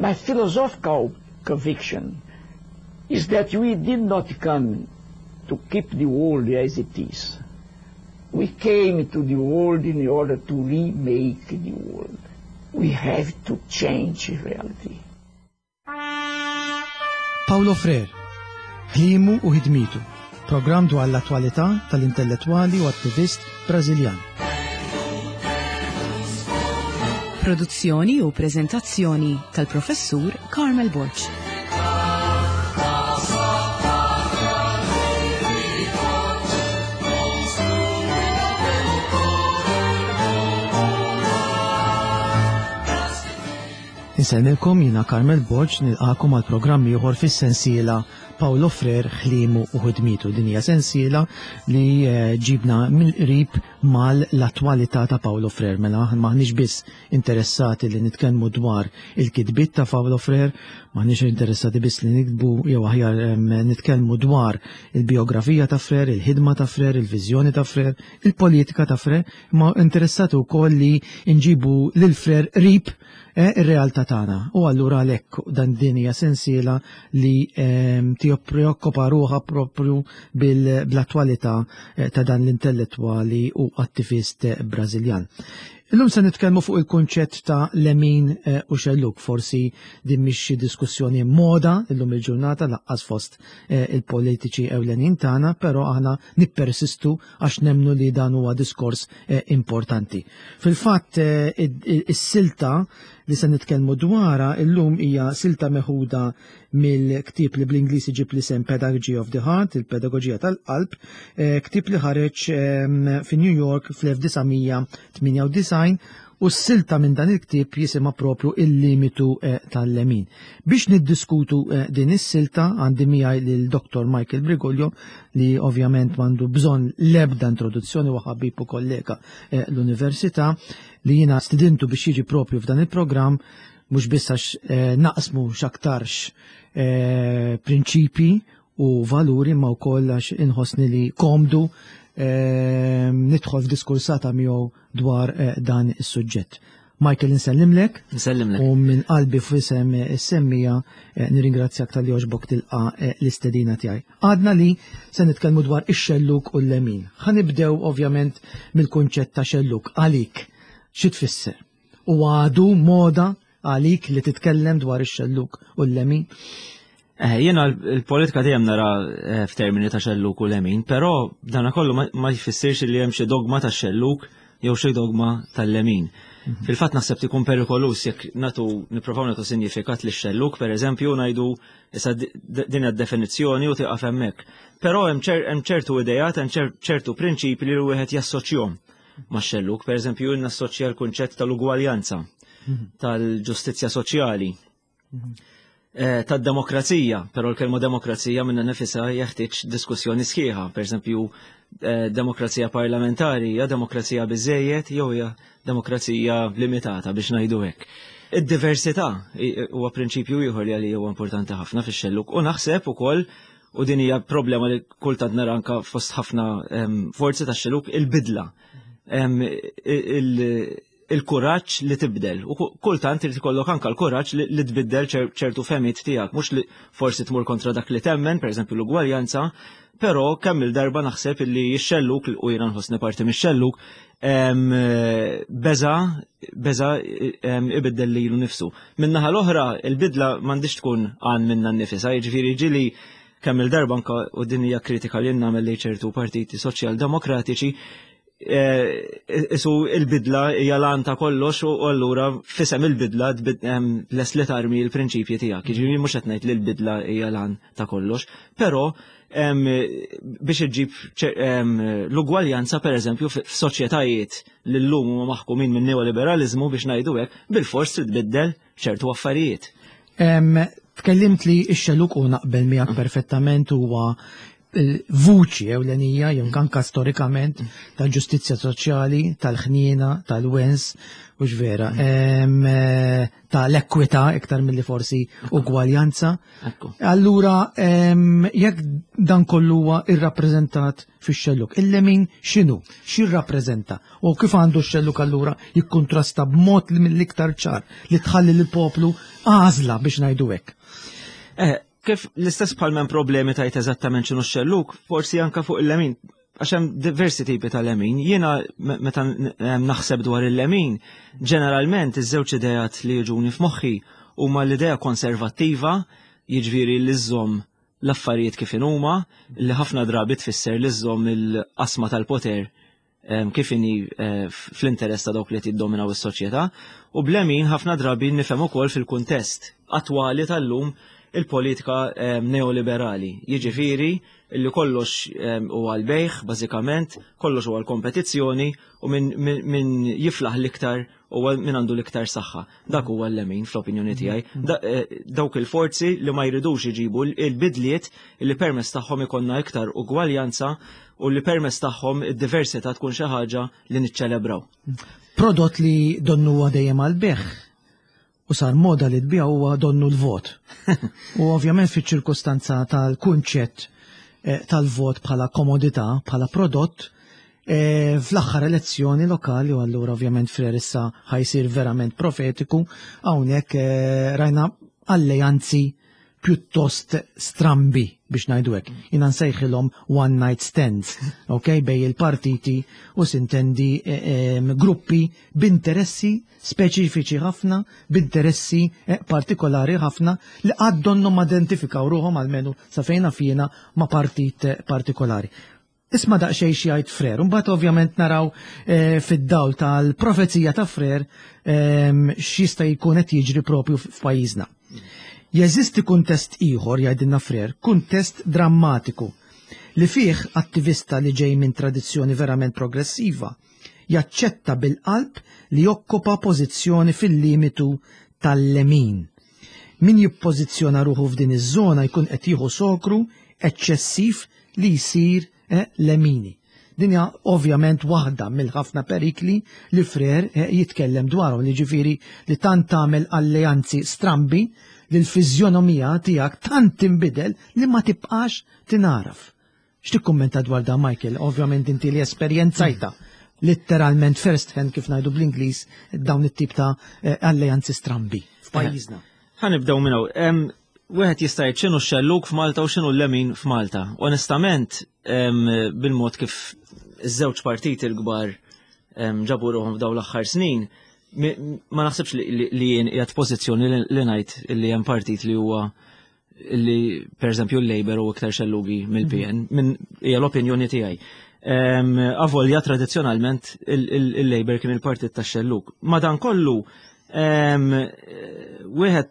My philosophical conviction is that we did not come to keep the world as it is. We came to the world in order to remake the world. We have to change reality. Paulo Freire, ħliemu u ħidmitu, programm dwar l-attwalità tal-intellettwali u attivist Brażiljan. Produzzjoni u preżentazzjoni tal-Professur Carmel Borg. Insellmilkom jiena Carmel Borg nilqakom għal programm ieħor fis-sensiela Paulo Freire ħliemu u ħidmietu. Din hija sensiela li eh, ġibna mill-qrib mal-attwalità ta' Paulo Freire. Mela maħniex biss interessati li nitkellmu dwar il-kitbiet ta' Paulo Freire, maħniex interessati biss li niktbu jew aħjar nitkellmu dwar il-biografija ta' Freire, il-ħidma ta' Freire, il-viżjoni ta' Freire, il-politika ta' Freire, ma interessati wkoll li nġibu lil Freire qrib eh, ir-realtà tagħna. U allura għalhekk dan din hija sensiela li ehm, preokkupa ruħha propju bil-attwalità eh, ta' dan l-intellettwali u attivist eh, Brażiljan. Illum se nitkellmu fuq il-kunċett ta' lemin eh, u xelluk, forsi din mhix xi diskussjoni moda illum il-ġurnata laqqas fost il-politiċi ewlenin tagħna, però aħna nippersistu għax nemnu li dan huwa diskors importanti. Fil-fatt is-silta li se nitkellmu dwarha illum hija silta meħuda mill-ktieb li bl-Ingliż iġib l-isem Pedagogy of the Heart, il-Pedagoġija tal-Qalb, eh, ktieb li ħareġ ehm, fi New York fl-1998 u s-silta minn dan il-ktieb jisimha propju il-limitu eh, tal-lemin. Biex niddiskutu eh, din is-silta għandi miegħi lil Dr. Michael Briguglio li ovvjament m'għandu bżonn l-ebda introduzzjoni u ħabib u kollega l-università li jiena stidintu biex jiġi propju f'dan il-programm mhux biss għax eh, naqsmu x'aktarx eh, prinċipi u valuri ma wkoll għax inħossni li komdu eh, nidħol f'diskursata miegħu dwar dan is-suġġett. Michael insellimlek. Nsellimlek. U minn qalbi f'isem is-semmija nirringrazzjak tal-li għoġbok tilqa l-istedina tiegħi. Għadna li se nitkellmu dwar ix-xelluk u l-lemin. Ħa nibdew ovvjament mill-kunċett ta' xelluk. Għalik, xi tfisser? U għadu moda għalik li titkellem dwar ix-xelluk u l-lemin? Eh, jiena l-politika dejjem nara eh, f'termini ta' xelluk u lemin, però dana kollu ma jfissirx li hemm xi dogma ta' xelluk jew xi dogma tal-lemin. Mhm. Fil-fatt naħseb tikun perikolus jekk natu nipprovaw natu sinjifikat li xelluk, per eżempju, ngħidu issa din id-definizzjoni u tieqaf hemmhekk. Però hemm ċertu idejat, hemm ċertu prinċipi li wieħed jassoċjhom ma' xelluk. Per eżempju, nassoċja l-kunċett tal-ugwaljanza, mhm. tal-ġustizzja soċjali, mhm. eh, tad-demokrazija, però l-kelma demokrazija minna nifisa jeħtieġ diskussjoni sħiħa. Per eżempju, eh, demokrazija parlamentari hija demokrazija biżejjed jew hija demokrazija limitata biex ngħidu hekk. Id-diversità huwa prinċipju ieħor li għalija huwa importanti ħafna fix-xelluk u naħseb ukoll u din hija problema li kultant nara anka fost ħafna forzi ta' xeluk il-bidla. Il-kuraġġ li tibdel. U kultant irid ikollok anka l-kuraġġ li tbiddel ċertu femiet tiegħek, mhux li forsi tmur kontra dak li temmen, pereżempju l-ugwaljanza, però kemm il-darba naħseb illi x-xelluk u jiena nħossni parti mix-xelluk beza beza ibiddel lilu nifsu. Min-naħa l-oħra, il-bidla m'għandix tkun għan minna nnifisha, jiġifieri ġili kemm il-darba anka u din hija kritika li nagħmel lejn ċertu partiti soċjal-demokratiċi, eh, isu il-bidla hija lan ta' kollox u allura fisem il-bidla les li tarmi l-prinċipji tiegħek. Jiġifieri mhux qed ngħid li l-bidla hija lan ta' kollox, però biex iġġib l-ugwaljanza per eżempju f'soċjetajiet li llum huma maħkumin minn neoliberalizmu biex ngħidu hekk, bilfors trid tbiddel ċertu affarijiet. Tkellimt li x-xellug u naqbel miegħek perfettament huwa il-vuċi ewlenija jew anka storikament tal-ġustizzja soċjali, tal-ħniena, tal-wens, u vera, tal-ekwità iktar milli forsi ugwaljanza. Allura, jekk dan kollu huwa irrappreżentat fix-xelluk, il-lemin x'inhu? X'irrappreżenta? U kif għandu x-xelluk allura jikkuntrasta b'mod li mill-iktar ċar li tħalli lill-poplu għażla biex ngħidu hekk? Kif l-istess bħal m'hemm problemi tajt eżattament x'inhu x-xelluk, forsi anka fuq il-lemin, għax hemm diversi tipi ta' lemin. Jiena meta naħseb dwar il-lemin, ġeneralment iż-żewġ ideat li jiġuni f'moħħi huma l-idea konservattiva, jiġifieri li żżomm l-affarijiet kif inhuma, li ħafna drabi tfisser li żżomm il-qasma tal-poter kif inhi fl-interess ta' dawk li qed jiddominaw is-soċjetà, u b'lemin ħafna drabi nifhem ukoll fil-kuntest attwali tal-lum il-politika neoliberali. Jiġifieri li kollox huwa l-bejgħ bażikament, kollox huwa l-kompetizzjoni u min jiflaħ l-iktar huwa min għandu l-iktar saħħa. Dak huwa l-lemin fl-opinjoni tiegħi. Dawk il-forzi li ma jridux iġibu l-bidliet li permezz tagħhom ikollna iktar ugwaljanza u li permezz tagħhom id-diversità tkun xi ħaġa li niċċelebraw. Prodott li donnu huwa dejjem għall-bejgħ u sar moda li tbigħ huwa donnu l-vot. U ovvjament fiċ-ċirkustanza tal-kunċett tal-vot bħala komodità, bħala prodott, fl-aħħar elezzjoni lokali, u allura ovvjament Frere issa ħajsir verament profetiku, hawnhekk rajna alleanzi pjuttost strambi biex ngħidu hekk. Jiena nsejħilhom one night stands, ok, bej il-partiti u sintendi gruppi b'interessi speċifiċi ħafna, b'interessi partikolari ħafna li qatt donnhom ma identifikaw ruħhom almenu sa fejn naf jiena ma' partit partikolari. Isma' daqsxejn xi jgħid Frere, u mbagħad ovvjament naraw fid-dawl tal-profezija ta' Frere x'jista' jkun qed jiġri propju f'pajjiżna. Jeżisti kuntest ieħor, jgħidilna Frere, kuntest drammatiku li fih attivista li ġej minn tradizzjoni verament progressiva jaċċetta bil-qalb li jokkupa pożizzjoni fil-limitu tal-lemin. Min jippożizzjona ruħu f'din iż-żona jkun qed jieħu sokru eċċessiv li jsir lemini. Din hija ovvjament waħda mill-ħafna perikli li Frere jitkellem dwarhom, li ġifieri li tant tagħmel alleanzi strambi li l-fiżjonomija tiegħek tant tinbidel li ma tibqax tingħaraf. X'tikkummenta dwar dan, Michael? Ovvjament inti li esperjenzajta letteralment first hand, kif ngħidu bl-Ingliż, dawn it-tip ta' alleanzi strambi f'pajjiżna. Ħa nibdew minn hawn. Wieħed jista' jgħid x'inhu x-xellug f'Malta u x'inhu l-lemin f'Malta. Onestament, bil-mod kif iż-żewġ partiti l-kbar ġabu ruħhom f'dawn l-aħħar snin, ma naħsibx li jien qiegħed pożizzjoni li ngħid li hemm partit li huwa li pereżempju l-Labour u iktar xellugi mill-PN, minn hija l-opinjoni tiegħi. Avolja tradizzjonalment il-Labour kien il-partit tax-xellug. Madankollu, wieħed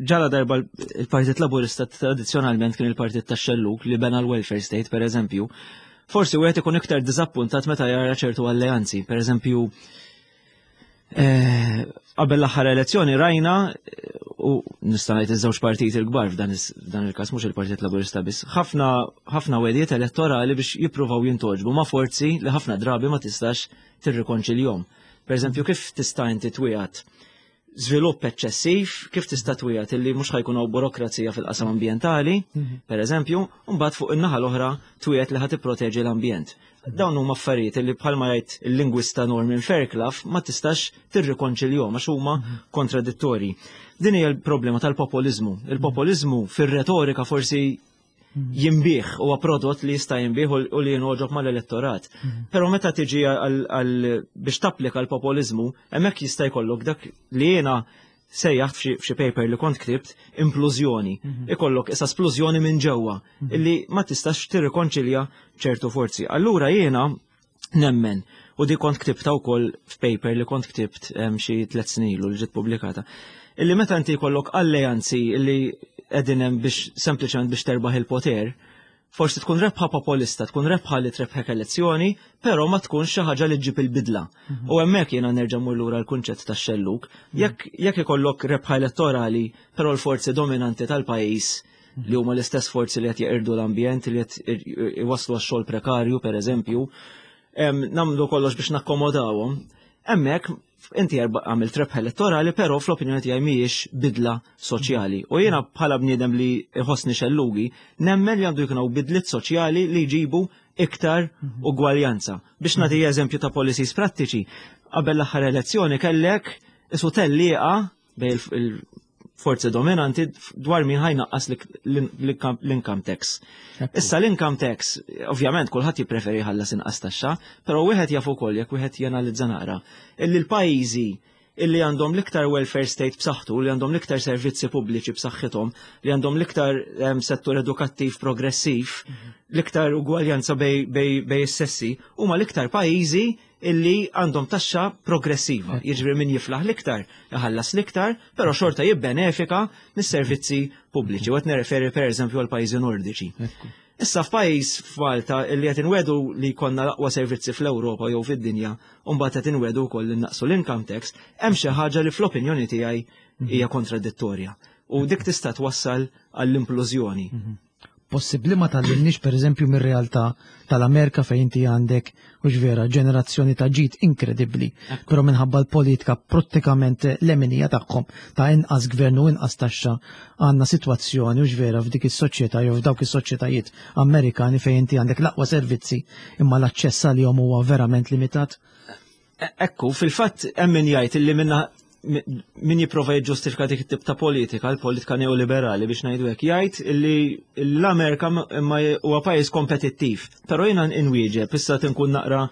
ġala darba il-Partit Laburista tradizzjonalment kien il-Partit tax-xellug li bena l-welfare state, per eżempju, forsi wieħed ikun iktar diżappuntat meta jara ċertu alleanzi. Per eżempju, qabel l-aħħar elezzjoni rajna, u nista' ngħid iż-żewġ partiti l-kbar f'dan il-każ, mhux il-Partit Laburista biss, ħafna ħafna wegħdiet elettorali biex jippruvaw jintogħġbu ma' forzi li ħafna drabi ma tistax tirrikonċiljhom. Per eżempju, kif tista' inti twiegħed żvilupp eċċessiv, kif tista' twiegħed illi mhux ħa jkun hawn burokrazija fil-qasam ambjentali, per eżempju, u mbagħad fuq in-naħa l-oħra twiegħed li ħa tipproteġi l-ambjent. Dawn huma affarijiet li bħalma jgħid il-lingwista Norman Fairclough ma tistax tirrikonċiljhom għax huma kontradittorji. Din hija l-problema tal-populizmu. Il-populizmu fir-retorika forsi jinbiegħ, huwa prodott li jista' jinbiegħ u li jingħoġob mal-elettorat. Però meta tiġi biex tapplika l-populizmu, hemmhekk jista' jkollok dak li jiena sejjaħt f'xi paper li kont ktibt implużjoni. Ikollok issa splużjoni minn ġewwa illi ma tistax tirrikonċilja ċertu forzi. Allura jiena nemmen, u di kont ktibta wkoll f'paper li kont ktibt xi 3 snin ilu li ġiet pubblikata, illi meta inti jkollok alleanzi illi qegħdin hemm biex sempliċement biex terbaħ il-poter, forsi tkun rebħa populista, tkun rebħa li trebħek elezzjoni, però ma tkunx xi ħaġa li ġġib il-bidla. U hemmhekk jiena nerġa' mmur lura l-kunċett tax-xellug. Jekk ikollok rebħa elettorali, però l-forzi dominanti tal-pajjiż. li huma l-istess forzi li qed jeqirdu l-ambjent, li qed iwasslu għax-xogħol prekarju pereżempju, nagħmlu kollox biex nakkomodawhom. Hemmhekk inti għamilt rebħ elettorali, però fl-opinjoni tiegħi mhijiex bidla soċjali. U jiena bħala bniedem li jħossni xellugi, nemmen li għandu jkun hawn bidliet soċjali li jġibu iktar ugwaljanza. Biex nagħti eżempju ta' policies prattiċi, qabel l-aħħar elezzjoni kellek isu tellieqa bejn il-forzi dominanti dwar min ħajnaqqas l-income tax. Issa l-income tax, ovvjament kulħadd jippreferi jħallas inqas taxxa, però wieħed jaf ukoll jekk wieħed janalizza naqra illi l-pajjiżi illi għandhom l-iktar welfare state b'saħħtu, li għandhom l-iktar servizzi pubbliċi b'saħħithom, li għandhom l-iktar settur edukattiv progressiv, l-iktar ugwaljanza bej is-sessi, huma l-iktar pajjiżi illi għandhom taxxa progressiva. Jiġifieri min jiflaħ l-iktar, iħallas l-iktar, però xorta jibbenefika mis-servizzi pubbliċi. U qed nirreferi pereżempju għal pajjiżi nordiċi. Issa f'pajjiż f'Malta illi qed inwedu li jkollna l-aqwa servizzi fl-Ewropa jew fid-dinja, u mbagħad qed inwedu wkoll li naqsu l-income tax, hemm xi ħaġa li fl-opinjoni tiegħi hija kontradittorja. U dik tista' twassal għall-implużjoni. Possibbli ma tgħallimniex pereżempju mir-realtà tal-Amerika fejn inti għandek hux vera ġenerazzjoni ta' ġid inkredibbli, però minħabba l-politika prattikament leminija tagħhom ta' inqas gvern u inqas taxxa għandna sitwazzjoni hux vera f'dik is-soċjetà jew f'dawk is-soċjetajiet Amerikani fejn inti għandek l-aqwa servizzi imma l-aċċess għalihom huwa verament limitat. Ekku, fil-fatt hemm min jgħid illi minna min jipprova jiġġustifika dik it-tip ta' politika, l-politika neoliberali biex ngħidu hekk, jgħid li l-Amerika imma huwa pajjiż kompetittiv. Però jiena inwieġeb, issa tinkun naqra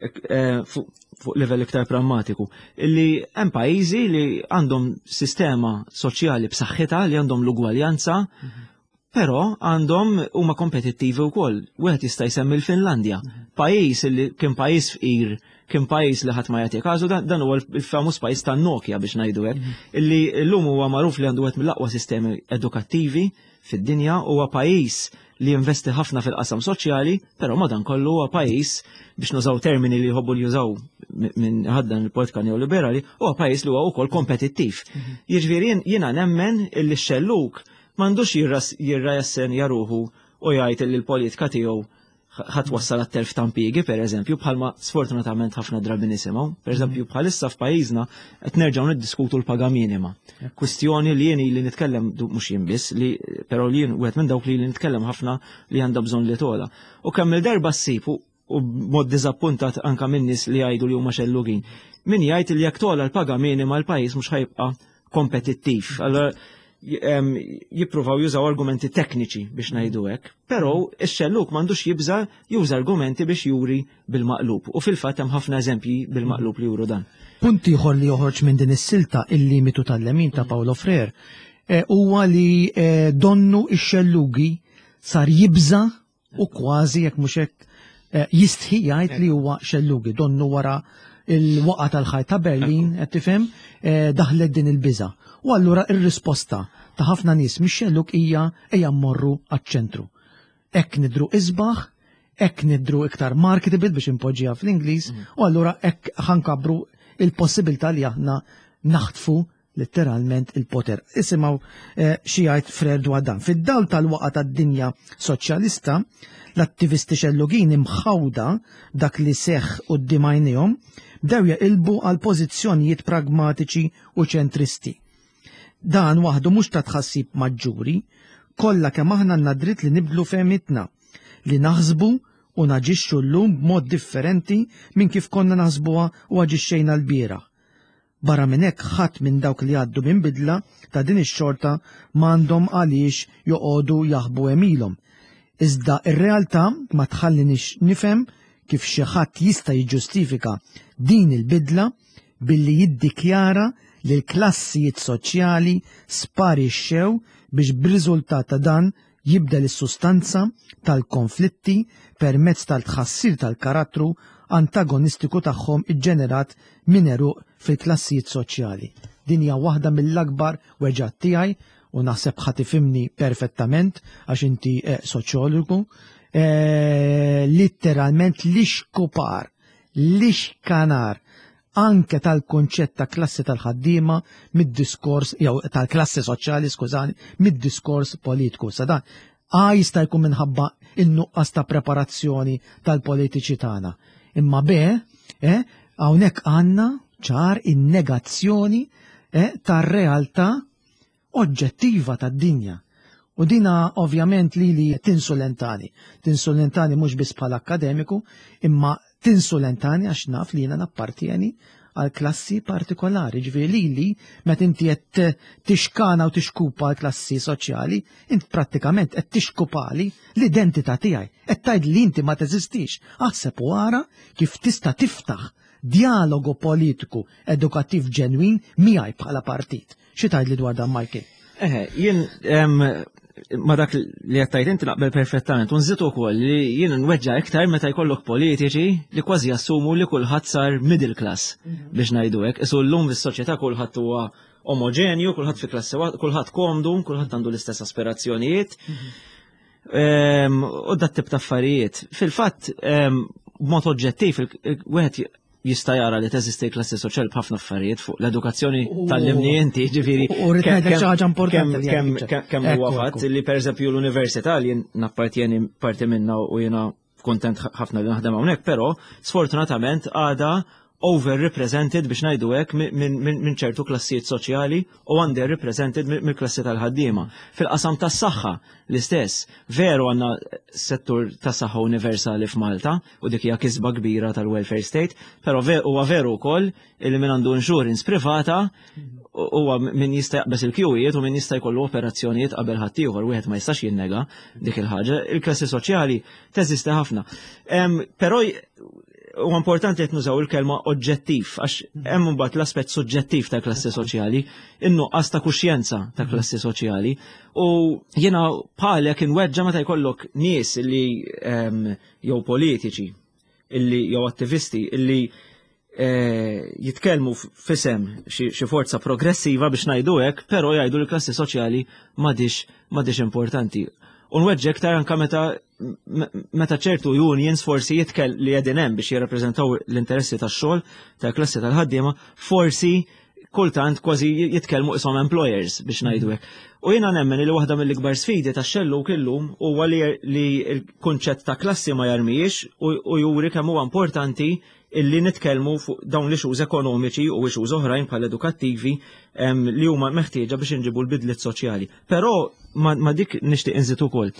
eh, fuq livell iktar prammatiku, illi hemm pajjiżi li għandhom sistema soċjali b'saħħitha li għandhom l-ugwaljanza, mhm. Però għandhom huma kompetittivi wkoll. Wieħed jista' jsemmi l-Finlandja, pajjiż li kien pajjiż fqir, kien pajjiż li ħadd ma jagħti każu, dan huwa l-famuż pajjiż tan-Nokia biex ngħidu hekk, mhm. illi llum huwa magħruf li għandu wieħed mill-aqwa sistemi edukattivi fid-dinja, huwa pajjiż li jinvesti ħafna fil-qasam soċjali, però madankollu huwa pajjiż biex nużaw termini li jħobbu li jużaw minn ħaddan il-politika neoliberali, huwa pajjiż li huwa wkoll kompetittiv. Mhm. Jiġifieri jiena nemmen illi x-xelluk M'għandux jirrajassenja ruħu u jgħid li l-politika tiegħu ħa twassal għat-telf ta' impjiegi, pereżempju, bħalma sfortunatament ħafna drabi nisimgħu. Pereżempju, bħalissa f'pajjiżna qed nerġgħu niddiskutu l-paga minima. Kwistjoni li jien li nitkellem mhux jien biss, li però li jien wieħed minn dawk li nitkellem ħafna li għandha bżonn li togħla. U kemm il-darba ssib u b'mod diżappuntat anka minn nies li jgħidu li huma xellugin. Min jgħid li jekk togħla l-paga minima l-pajjiż mhux ħajbqa' kompetittiv. Allora jippruvaw jużaw argumenti tekniċi biex ngħidu hekk, però ix-xelluk m'għandux jibża juża argumenti biex juri bil-maqlub. U fil-fatt hemm ħafna eżempji bil-maqlub li juru dan. Punt ieħor li joħroġ minn din is-silta il-limitu tal-lemin ta' Paolo Frere eh, huwa li eh, donnu ix-xellugi sar jibża u kważi jekk mhux hekk eh, jistħi jgħid li huwa xellugi donnu wara il-waqa tal-ħajt ta' Berlin, qed tifhem, eh, daħlet din il-biża. U allura ir-risposta ta' ħafna nies mix-xellug hija ejja mmorru għaċ-ċentru. Hekk nidru isbaħ, hekk nidru iktar marketable biex impoġġiha fl-Ingliż, mm. u allura hekk ħankabru il-possibilità li aħna naħtfu letteralment il-poter. Isimgħu eh, xi jgħid Frer dwar dan. Fid-dawl tal-waqa tad-dinja soċjalista, l-attivisti xellugin imħawda dak li seħħ quddiem għajnejhom bdew jaqilbu għal pożizzjonijiet pragmatiċi u ċentristi. Dan waħdu mhux ta' tħassib maġġuri, kollha kemm aħna għandna dritt li nibdlu fehmitna, li naħsbu u naġixxu llum b'mod differenti minn kif konna naħsbuha u aġixxejna l-bieraħ. Barra minn hekk ħadd minn dawk li jgħaddu minn bidla ta' din ix-xorta m'għandhom għaliex joqogħdu jaħbu għemilhom. Iżda r-realtà ma tħallinix nifhem kif xi ħadd jista' jiġġustifika din il-bidla billi jiddikjara li l-klassijiet soċjali sparixxew biex b'riżultat ta' dan jibdel is-sustanza tal-konflitti permezz tal-tħassir tal-karattru antagonistiku tagħhom iġġenerat minn għeruq fil-klassijiet soċjali. Din hija waħda mill-akbar weġgħat tiegħi u naħseb ħa tifhimni perfettament għax inti eh, soċjologu. Eh, litteralment l-ixkupar, l-ixkanar. anke tal-konċett ta' klassi tal-ħaddiema mid-diskors jew tal-klassi soċjali, skużani, mid-diskors politiku. Sa dan A jista' jkun minħabba in-nuqqas ta' preparazzjoni tal-politiċi tagħna. Imma B, eh, hawnhekk għandna ċar in-negazzjoni eh, tar-realtà oġġettiva tad-dinja. U dina ovvjament li li tinsulentani. Tinsulentani mhux biss bħala akkademiku, imma tinsulentani għax naf li jiena nappartjeni għal klassi partikolari. Ġifieri lili meta inti qed tixkana u tixkupa għal klassi soċjali, int prattikament qed tixkupali l-identità tiegħi. Qed tgħid li inti ma teżistix. Aħseb u ara kif tista' tiftaħ dialogu politiku edukattiv ġenwin miegħi bħala partit. Xi tgħidli dwar dan Michael? Eħe, jien ma dak li qed tgħid inti naqbel perfettament u nżid ukoll li jien nweġġa' iktar meta jkollok politiċi li kważi jassumu li kulħadd sar middle class mhm. biex ngħidu hekk. Isu llum fis-soċjetà kulħadd huwa omogenju, kulħadd fi klassi kulħadd komdu, kulħadd għandu l-istess aspirazzjonijiet. Mhm. U dat tip ta' affarijiet. Fil-fatt, b'mod oġġettiv, wieħed jista' jara li teżisti klassi soċjali b'ħafna affarijiet fuq l-edukazzjoni tal-limni inti, ġifieri. U rrid ngħidlek xi ħaġa importanti. Kemm huwa fatt li pereżempju l-università li nappartjeni parti minna u jiena kontent ħafna li naħdem hawnhekk, però sfortunatament għada overrepresented biex ngħidu hekk minn ċertu klassijiet soċjali u underrepresented mill-klassi tal-ħaddiema. Fil-qasam tas-saħħa l-istess, veru għandna settur tas-saħħa universali f'Malta u dik hija kisba kbira tal-welfare state, però huwa veru wkoll li min għandu insurance privata huwa min jista' jaqbeż il-kjuwijiet u min jista' jkollu operazzjonijiet qabel ħaddieħor, wieħed ma jistax jinnega dik il-ħaġa. Il-klassi soċjali teżisti ħafna. Però huwa importanti qed nużaw il-kelma oġġettiv għax hemm imbagħad l-aspett suġġettiv ta' klassi soċjali, in-nuqqas ta' kuxjenza ta' klassi soċjali. U jiena bħalek inweġġa meta jkollok nies li jew politiċi illi jew attivisti illi eh, jitkellmu fisem xi forza progressiva biex ngħidu hekk, però jgħidu li klassi soċjali m'għadix importanti. U nweġġek iktar anka meta meta ċertu unions forsi jitkel li qegħdin hemm biex jirrappreżentaw l-interessi tax-xogħol tal-klassi tal-ħaddiema, forsi kultant kważi jitkellmu isom employers biex ngħidu hekk. U jiena nemmen li waħda mill-ikbar sfidi tax-xelluk illum huwa li l-kunċett ta' klassi ma jarmijiex u juri kemm huwa importanti illi nitkellmu fuq dawn l-issues ekonomiċi u issues oħrajn bħal edukattivi li huma meħtieġa biex inġibu l-bidliet soċjali. Però ma dik nixtieq inżid ukoll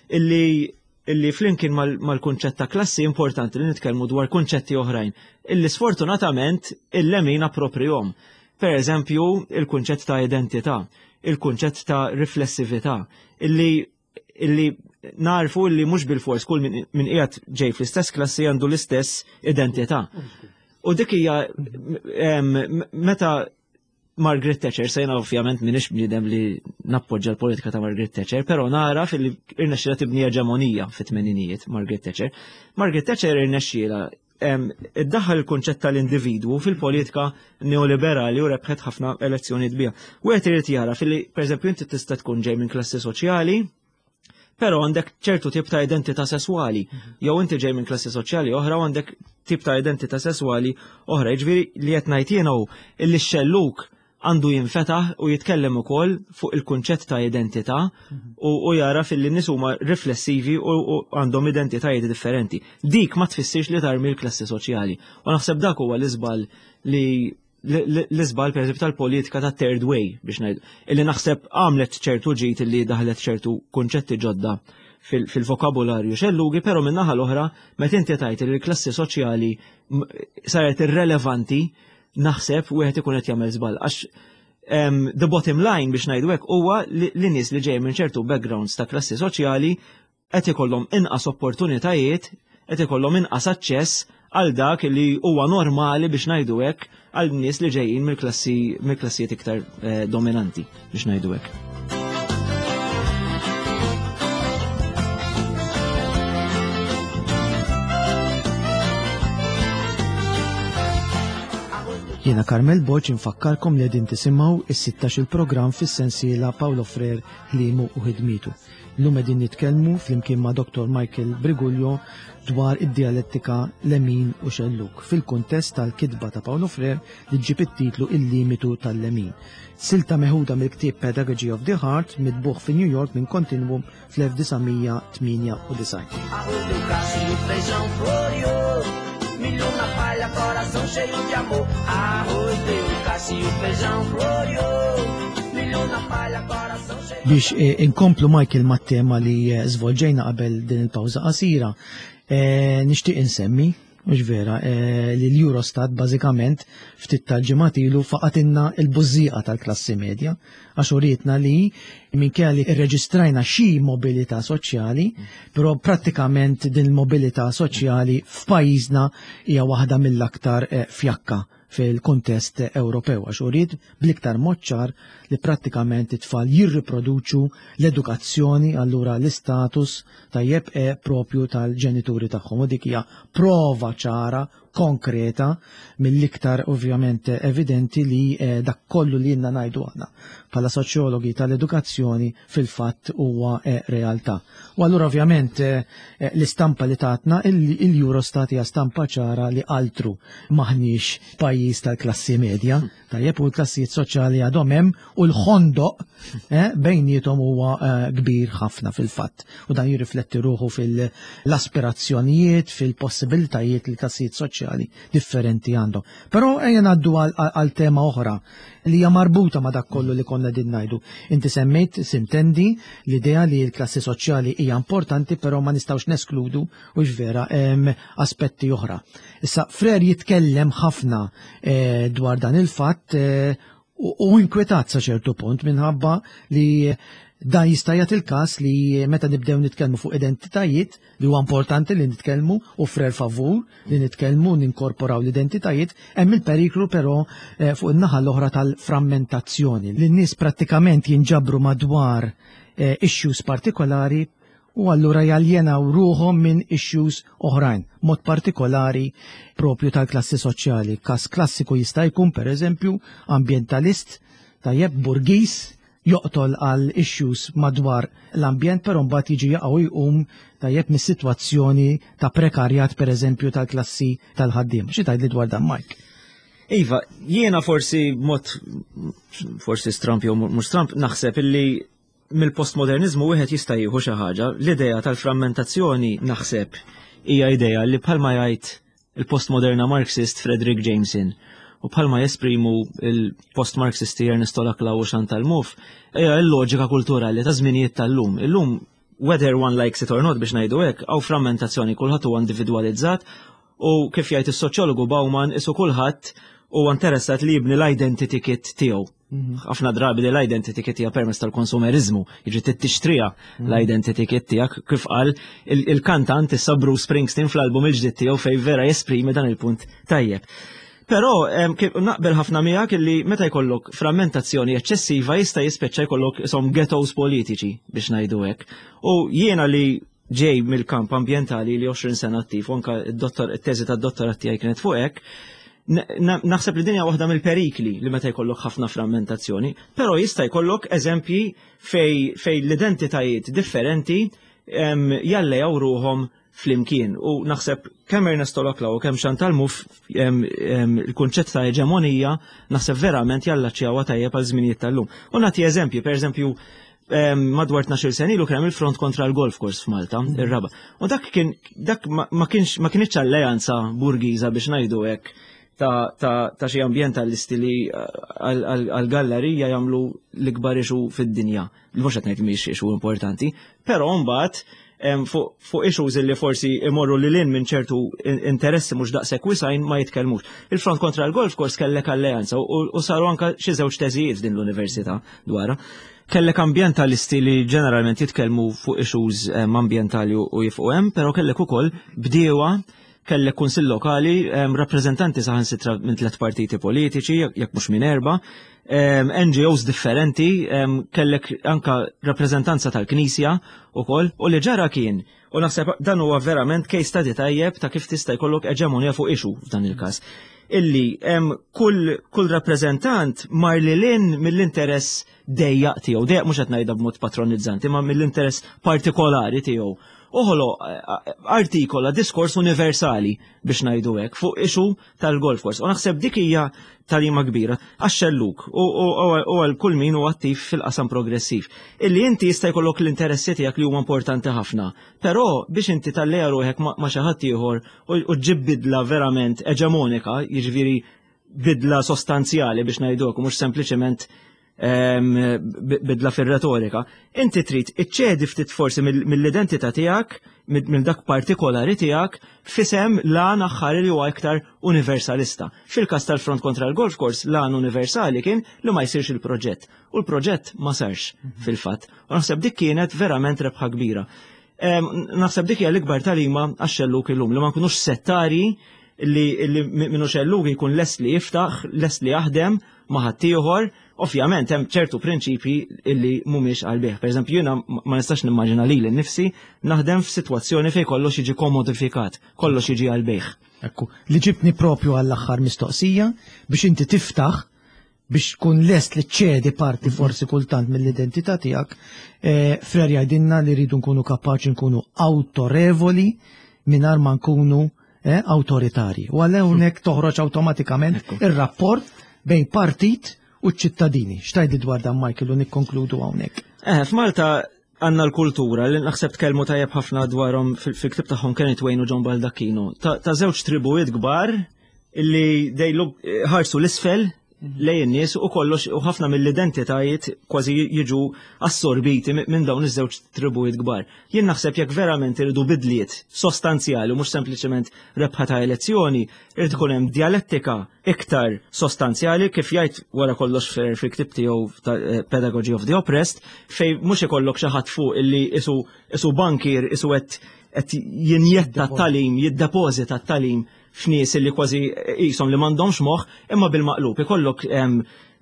illi illi flimkien mal-kunċett ta' klassi importanti li nitkellmu dwar kunċetti oħrajn illi sfortunatament il-lemin approprihom. Per eżempju, il-kunċett ta' identità, il-kunċett ta' riflessività, illi illi narfu illi mhux bil-fors kull min qiegħed ġej fl-istess klassi għandu l-istess identità. U dik hija meta Margaret Thatcher, sejna ovvjament minix bniedem li nappoġġa l-politika ta' Margaret Thatcher, pero nara fil irnexxila tibni eġemonija fit-tmeninijiet Margaret Thatcher. Margaret Thatcher irnexxila iddaħħal il-kunċett tal-individwu fil-politika neoliberali u rebħet ħafna elezzjonijiet biha. Wieħed irid jara fil-li, pereżempju, inti tista' tkun ġej minn klassi soċjali, però għandek ċertu tip ta' identità sesswali, jew inti ġej minn klassi soċjali oħra u għandek tip ta' identità sesswali oħra. Jiġifieri li qed ngħid jiena hu illi x-xelluk għandu jinfetaħ u jitkellem ukoll fuq il-kunċett ta' identità u jara fil-li nies huma riflessivi u għandhom identitajiet differenti. Dik ma tfissirx li tarmi l-klassi soċjali. U naħseb dak huwa l-iżbal li l-iżbal per tal-politika ta' third way biex ngħid. Illi naħseb għamlet ċertu ġid illi daħlet ċertu kunċetti ġodda fil-vokabularju xellugi, però min-naħa l-oħra meta inti tajt li l-klassi soċjali saret irrelevanti naħseb wieħed ikun qed jagħmel żball għax the bottom line biex ngħidu hekk huwa li nies li ġej minn ċertu backgrounds ta' klassi soċjali qed ikollhom inqas opportunitajiet, qed ikollhom inqas aċċess għal dak li huwa normali biex ngħidu hekk għal nies li ġejjin mill-klassi mill-klassijiet iktar eh, dominanti biex ngħidu hekk. Jiena Carmel Borg infakkarkom li qegħdin tisimgħu is-16 il-programm fis-sensiela Paolo Frere ħliemu u ħidmietu. Illum qegħdin nitkellmu flimkien ma' Dr. Michael Briguglio dwar id-dialettika lemin u xellug fil-kuntest tal-kitba ta' Paolo Frere li ġġib it-titlu Il-limitu tal-lemin. Silta meħuda mill-ktieb Pedagogy of the Heart mitbugħ fi New York minn Continuum fl-1998. Arroz deu cacho e o feijão floreou. Milho na palha, coração cheio de amor. Arroz deu cacho e o feijão floreou. Milho na palha, coração cheio Biex eh, inkomplu Michael mat-tema li eh, żvolġejna qabel din il-pawża qasira, eh, nixtieq insemmi, mhux vera, eh, li l-Eurostat bażikament ftit tal-ġimgħat ilu faqatilna il-bużżieqa tal-klassi medja għax urietna li minkejja li rreġistrajna xi mobilità soċjali, però prattikament din il-mobilità soċjali f'pajjiżna hija waħda mill-aktar eh, fjakka fil-kuntest Ewropew għax uriet bl-iktar mod ċar li prattikament it-tfal jirriproduċu l-edukazzjoni allura l-istatus tajjeb e propju tal-ġenituri tagħhom u dik hija prova ċara konkreta mill-iktar ovvjament evidenti li eh, dak kollu li jenna ngħidu aħna bħala soċjologi tal-edukazzjoni fil-fatt huwa eh, realtà. U allura ovvjament eh, l-istampa li tatna il-Eurostat hija stampa ċara li altru maħniex pajjiż tal-klassi medja, tajjeb u l-klassijiet soċjali għadhom hemm u l-ħondoq bejniethom huwa kbir ħafna fil-fatt. U dan jirrifletti ruħu fil-aspirazzjonijiet, fil-possibilitajiet li klassijiet soċjali differenti għandhom. Però ejja ngħaddu għal tema oħra li hija marbuta ma' dak kollu li konna din ngħidu. Inti semmejt sintendi l-idea li l-klassi soċjali hija importanti, però ma nistgħux neskludu u vera aspetti oħra. Issa Frere jitkellem ħafna eh, dwar dan il-fatt eh, u inkwetat sa ċertu punt minħabba li dan jista' jagħti il-każ li meta nibdew nitkellmu fuq identitajiet li huwa importanti li nitkellmu u Frere favur li nitkellmu ninkorporaw l-identitajiet, hemm il-periklu però eh, fuq in-naħa l-oħra tal-frammentazzjoni li n-nies prattikament jinġabru madwar eh, issues partikolari u allura jaljenaw ruħhom minn issues oħrajn, mod partikolari propju tal-klassi soċjali. Kas klassiku jista' jkun pereżempju ambientalist tajjeb burgis joqtol għal issues madwar l-ambjent, però mbagħad jiġi jaqgħu jqum tajjeb mis-sitwazzjoni ta' prekarjat pereżempju tal-klassi tal-ħaddiem. Xi tgħidli dwar dan Mike? Iva, jiena forsi mod forsi stramp jew mhux stramp naħseb illi mill-postmodernizmu wieħed jista' jieħu xi ħaġa. L-idea tal-frammentazzjoni naħseb hija idea li bħalma jgħid il-postmoderna Marxist Frederick Jameson u bħalma jesprimu il-post-Marxisti Ernesto Laclau u Chantal Mouffe, hija l-loġika kulturali ta' żminijiet tal-lum. Illum, whether one likes it or not biex ngħidu hekk, hawn frammentazzjoni kulħadd huwa individwalizzat u kif jgħid is-soċjologu Bauman isu kulħadd huwa interessat li jibni l-identity kit tiegħu. Ħafna drabi li l-identity kit hija permezz tal-konsumerizmu, jiġi tixtriha l-identity kit tiegħek kif qal il-kantant issa Bruce Springsteen fl-album il-ġdid tiegħu fej vera jesprimi dan il-punt tajjeb. Però naqbel ħafna miegħek illi meta jkollok frammentazzjoni eċċessiva jista' jispiċċa jkollok isom ghettos politiċi biex ngħidu hekk. U jiena li ġej mill-kamp ambjentali li 20 sena attiv, u anka it-teżi tad-dottorat tiegħi kienet fuq hekk, naħseb li dinja waħda mill-perikli li meta jkollok ħafna frammentazzjoni, però jista' jkollok eżempji fej l-identitajiet differenti jallejaw ruħhom flimkien. U naħseb kemm Ernesto Laclau u kemm Chantal Mouffe il-kunċett ta' eġemonija naħseb verament jallaċċjawha tajjeb għal żminijiet tal-lum. U nagħti eżempji, per eżempju, madwar 12 sena ilu kien hemm il-front kontra l-golf course f'Malta, ir-raba. U dak kien dak ma kienx ma kienx alleanza burgiża biex ngħidu hekk ta' xi ambjentalisti li għal-gallerija jagħmlu l-ikbar issue fid-dinja. Li mhux qed ngħid mhix issue importanti, però mbagħad fuq issues li forsi imorru lil hinn minn ċertu interessi mhux daqshekk wisgħin ma jitkellmux. Il-front kontra l-golf course kellek alleanza u saru anka xi żewġ teżijiet f'din l-università dwarha. Kellek ambjentalisti li ġeneralment jitkellmu fuq issues ambjentali u jifqu hemm, però kellek ukoll bdiewa. kellek kunsill lokali, rappreżentanti saħansitra minn tliet partiti politiċi, jekk mhux minn erba, NGOs differenti, kellek anka rappreżentanza tal-Knisja ukoll, u li ġara kien, u naħseb dan huwa verament case study tajjeb ta' kif tista' jkollok eġemonja fuq issue f'dan il-każ, illi kull, kull rappreżentant mar lil hinn mill-interess dejjaq tiegħu, dejjaq mhux qed ngħidha b'mod patronizzanti, ma mill-interess partikolari tiegħu. Uħolo artikola diskors universali biex ngħidu hekk fuq issue tal-golf course. U naħseb dik hija tagħlima kbira għax-xelluk u għal kull min huwa attiv fil-qasam progressiv. Illi inti jista' jkollok l-interessi tiegħek li huma importanti ħafna, però biex inti talleja ruħek ma' xi ħadd ieħor u ġġib bidla verament eġemonika, jiġifieri bidla sostanzjali biex ngħidu hekk, u mhux sempliċement bidla fir-retorika, inti trid iċċedi ftit forsi mill-identità tiegħek, mill dak partikolari tiegħek, f'isem l-għan aħħar li huwa iktar universalista. Fil-każ tal-Front kontra l-Golf Course, l-għan universali kien li ma jsirx il-proġett. U l-proġett ma sarx fil-fatt. U naħseb dik kienet verament rebħa kbira. Naħseb dik hija l-ikbar tagħlima għax-xelluk illum, li ma nkunux settari li minnu xelluk jkun lest li jiftaħ, lest li jaħdem ma' ħaddieħor. Ovvjament hemm ċertu prinċipji illi mhumiex għal bih. Per eżempju, jiena ma nistax nimmaġina lili nnifsi naħdem f'sitwazzjoni fejn kollox jiġi komodifikat, kollox jiġi għal bih. Ekku, li ġibni propju għall-aħħar mistoqsija biex inti tiftaħ biex tkun lest li ċedi parti forsi kultant mill-identità tiegħek. Frere jgħidilna li rridu nkunu kapaċi nkunu autorevoli mingħajr ma nkunu awtoritarji. U għal hawnhekk toħroġ awtomatikament ir-rapport bejn partit u ċ-ċittadini. X'tgħidli dwar dan, Michael, u nikkonkludu hawnhekk? F'Malta għandna l-kultura li naħseb tkellmu tajjeb ħafna dwarhom fil-ktib tagħhom Kenneth Wayne u John Baldacchino. Ta' żewġ tribujiet kbar illi dejlu ħarsu l-isfel lejn in-nies u kollox u ħafna mill-identitajiet kważi jiġu assorbiti minn dawn iż-żewġ tribujiet kbar. Jien naħseb jekk verament iridu bidliet sostanzjali u mhux sempliċement rebħa ta' elezzjoni, irid ikun hemm dialettika iktar sostanzjali kif jgħid wara kollox fil-ktib tiegħu ta' Pedagogy of the Oppressed, fej mhux ikollok xi ħadd fuq illi isu bankier, isu qed jinjetta t-tagħlim, jiddepożita t-tagħlim f'nies li kważi qishom li m'għandhomx moħħ, imma bil-maqlub ikollok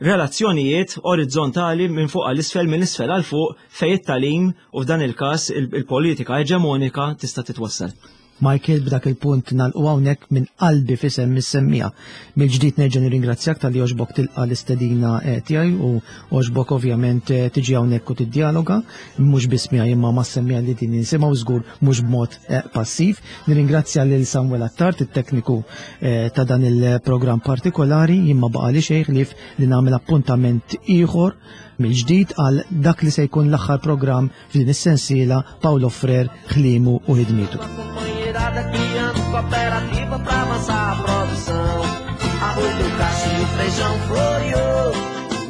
relazzjonijiet orizzontali minn fuq għal isfel, minn isfel għal fuq, fej it-tagħlim u f'dan il-każ il-politika eġemonika tista' titwassal. Michael, b'dak il-punt nagħlqu hawnhekk minn qalbi fisem mis-semmija. Mill-ġdid nerġa' nirringrazzjak talli għoġbok tilqa' l-istedina tiegħi u għoġbok ovvjament tiġi hawnhekk u tiddialoga, mhux biss miegħi imma ma' semmija li din nisimgħu żgur mhux b'mod passiv. Nirringrazzja lil Samuel Attard, it-tekniku ta' dan il-programm partikolari, jien ma baqa' li xejn ħlief li nagħmel appuntament ieħor mill-ġdid għal dak li se jkun l-aħħar programm f'din is-sensiela Paulo Frere, ħliemu u ħidmietu. Criando cooperativa pra avançar a produção. Arroz do cacho e o feijão floreou.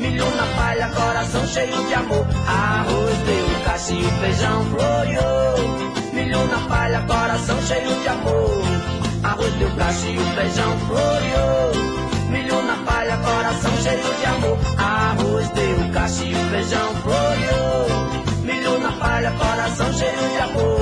Milho na palha, coração cheio de amor. Arroz deu cacho e o feijão floreou. Milho na palha, coração cheio de amor. Arroz deu cacho e o feijão floreou. Milho na palha, coração cheio de amor. Arroz deu cacho e o feijão floreou. Milho na palha, coração cheio de amor.